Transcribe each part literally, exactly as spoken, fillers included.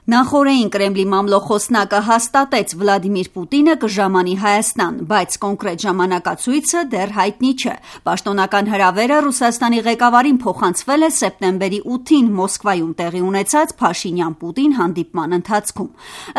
Նախօրեին Կրեմլի մամլոխոսնակը հաստատեց Վլադիմիր Պուտինը կժամանի Հայաստան, բայց կոնկրետ ժամանակացույցը դեռ հայտնի չէ։ Պաշտոնական հրավերը Ռուսաստանի ղեկավարին փոխանցվել է սեպտեմբերի ութին Մոսկվայում տեղի ունեցած Փաշինյան-Պուտին հանդիպման ընթացքում։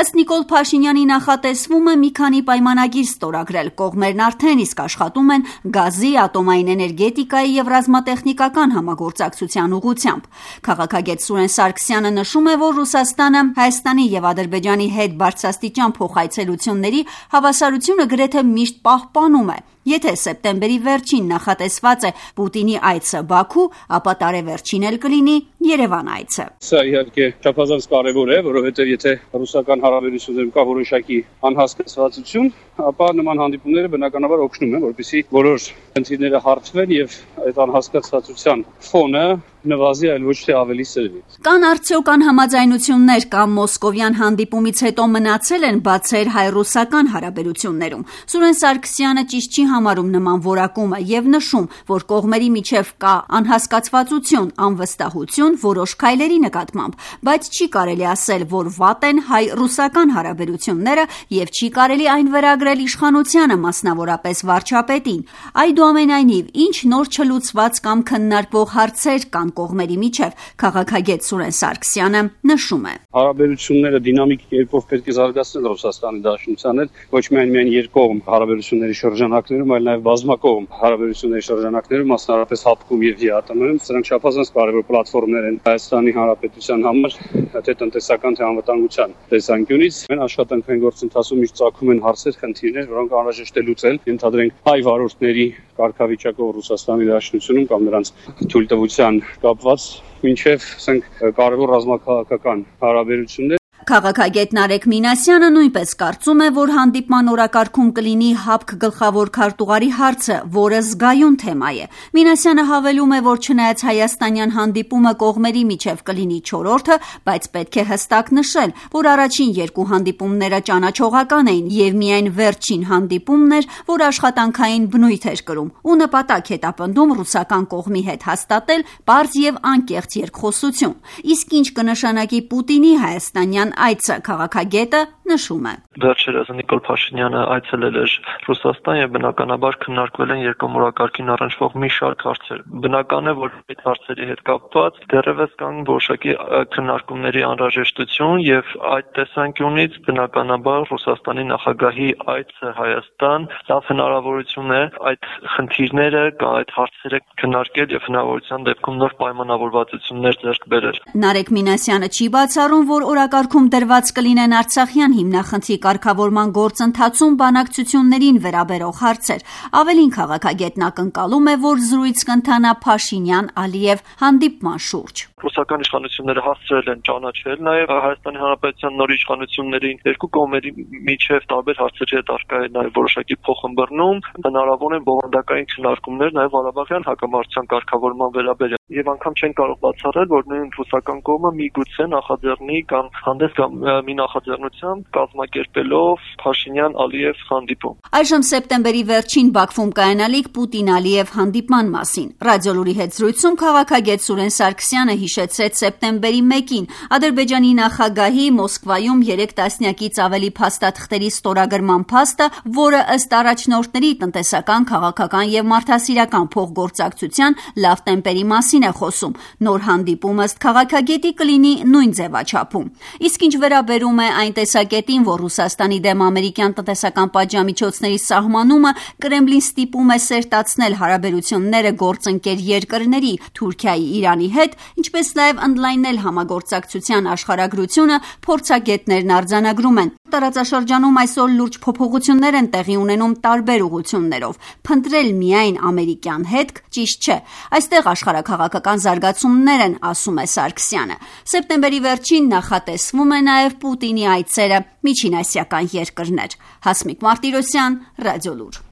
Ըստ Նիկոլ Փաշինյանի նախատեսվում է մի քանի պայմանագիր ստորագրել, կողմերն արդեն իսկ աշխատում են գազի, ատոմային էներգետիկայի և ռազմատեխնիկական համագործակցության ուղղությամբ։ Քաղաքագետ Սուրեն Սարգսյանը նշում է, որ Ռուսաստանը Հայաստանի և Ադրբեջանի հետ բարձրաստիճան փոխայցելությունների հավասարությունը գրեթե միշտ պահպանում է։ Եթե սեպտեմբերի վերջին նախատեսված է Պուտինի այցը Բաքու, ապա տարեվերջին էլ կլինի Երևան այցը։ Սա իհարկե չափազանց կարևոր է, որովհետև եթե ռուսական հարաբերություններում կա որոշակի անհասկացվածություն, ապա նման հանդիպումները բնականաբար օգնում են, որպեսզի բոլոր խնդիրները հարթվեն եւ այդ անհասկացվածության ֆոնը նվազի, այլ ոչ թե ավելի սրվի։ Կան արդյոք անհամաձայնություններ կամ մոսկովյան հանդիպումից հետո մնացել են բացեր հայ-ռուսական հարաբերություններում։ Սուրեն Սարգսյանը ճիշտ չի համարում նման որակումը եւ նշում, որ կողմերի միջև կա անհասկացվածություն, անվստահություն որոշ քայլերի նկատմամբ, բայց չի կարելի ասել, որ վատ են հայ-ռուսական հարաբերությունները եւ չի կարելի այն վերագրել իշխանությանը, մասնավորապես վարչապետին։ Այդուամենայնիվ, ինչ նոր չլուծված կամ քննարկվող հարցեր կան կողմերի միջև, քաղաքագետ Սուրեն Սարգսյանը նշում է. Հարաբերությունները դինամիկ կերպով պետք է զարգացնել Ռուսաստանի Դաշնության հետ, ոչ միայն միայն երկկողմ հարաբերությունների շրջանակներում, այլ նաև բազմակողմ հարաբերությունների շրջանակներում, մասնավորապես ՀԱՊԿ-ում եւ ԵԱՏՄ-ում, սրանք չափազանց կարևոր պլատֆորմներ են Հայաստանի Հանրապետության համար, թե տնտեսական, թե անվտանգության տեսանկյունից։ Մենք աշխատանքային գործընթացում միշտ ծագում են հարցեր, խնդիրներ, որոնք անհրաժեշտ է լուծել, ենթադրենք հայ վարորդների կարգավիճակով Ռուսաստանի Դաշնությունում կամ նրանց թույլտվության կապված մինչև ասենք կարևոր ռազմաքաղաքական հարաբերություններ։ Քաղաքագետ Նարեկ Մինասյանը նույնպես կարծում է, որ հանդիպման օրակարգում կլինի ՀԱՊԿ գլխավոր քարտուղարի հարցը, որը զգայուն թեմա է։ Մինասյանը հավելում է, որ չնայած հայաստանյան հանդիպումը կողմերի միջև կլինի չորրորդը, բայց պետք է հստակ նշել, որ առաջին երկու հանդիպումները ճանաչողական էին եւ միայն վերջին հանդիպումն էր, որ աշխատանքային բնույթ էր կրում ու նպատակ հետապնդում ռուսական կողմի հետ հաստատել պարզ եւ անկեղծ երկխոսություն։ Իսկ ինչ կնշանակի Պուտինի հայաստանյան այցը, քաղաքագետը նշում է. Վերջերս Նիկոլ Փաշինյանը այցելել էր Ռուսաստան եւ բնականաբար քննարկվել են երկկողմորակարգին առնչվող մի շարք հարցեր։ Բնական է, որ այդ հարցերի հետ կապված դեռևս կան որոշակի քննարկումների անհրաժեշտություն եւ այդ տեսանկյունից բնականաբար Ռուսաստանի նախագահի այցը Հայաստան լավ հնարավորություն է այդ խնդիրները կամ այդ հարցերը քննարկել եւ հնարավորության դեպքում նոր պայմանավորվածություններ ձեռք բերել։ Նարեկ Մինասյանը չի բացառում, որ օրակարգում դրված կլինեն Արցախյան հիմնախնդրի կարգավորման գործընթացում բանակցություններին վերաբերող հարցեր։ Ավելին, քաղաքագետն ակնկալում է, որ զրույց կընթանա Փաշինյան-Ալիև հանդիպման շուրջ։ Ռուսական իշխանությունները հասցրել են ճանաչել նաև Հայաստանի Հանրապետության նոր իշխանություններին, երկու կողմերի միջև տարբեր հարցերի հետ արկա է նաև որոշակի փոխըմբռնում, հնարավոր են բովանդակային քննարկումներ նաև Ղարաբաղյան հակամարտության կարգավորման վերաբերյալ։ Եվ անգամ չեն կարող բացառել, որ նույն ռուսական կողմը միգուցե նախաձեռնի կամ հանդես կամ մի նախաձեռնությամբ կազմակերպելով Փաշինյան-Ալիև հանդիպում։ Այժմ սեպտեմբերի վերջին Բաքվում կայանալիք Պուտին-Ալիև հանդիպման մասին։ Ռադիոլուրի հետ զրույցում քաղաքագետ Սուրեն Սարգսյանը հիշեցրեց սեպտեմբերի մեկին Ադրբեջանի նախագահի Մոսկվայում երեք տասնյակից ավելի փաստաթղթերի ստորագրման փաստը, որը ըստ առաջնորդների տնտեսական, քաղաքական եւ մարդասիրական փոխգործակցության լավ տեմպերի մասին է խոսում։ Նոր հանդիպումը ըստ քաղաքագետի կլինի նույն ձևաչափում։ Իսկ ինչ վերաբերում է այն տեսակետին, որ Ռուսաստանի դեմ ամերիկյան տնտեսական պատժամիջոցների սահմանումը Կրեմլին ստիպում է սերտացնել հարաբերությունները գործընկեր երկրների Թուրքիայի, Իրանի հետ, ինչպես նաև ընդլայնել համագործակցության աշխարհագրությունը, փորձագետներն արձանագրում են։ Տարածաշրջանում այսօր լուրջ փոփոխություններ են տեղի ունենում տարբեր ուղղություններով։ Փնտրել միայն ամերիկյան հետք ճիշտ չէ։ Այստեղ աշխարհաքաղաքական զարգացումներ են, ասում է Սարգսյանը։ Սեպտեմբերի վերջին նախատեսվում է նաև Պուտինի այցերը միջինասիական երկրներ։ Հասմիկ Մարտիրոսյան, Ռադիոլուր։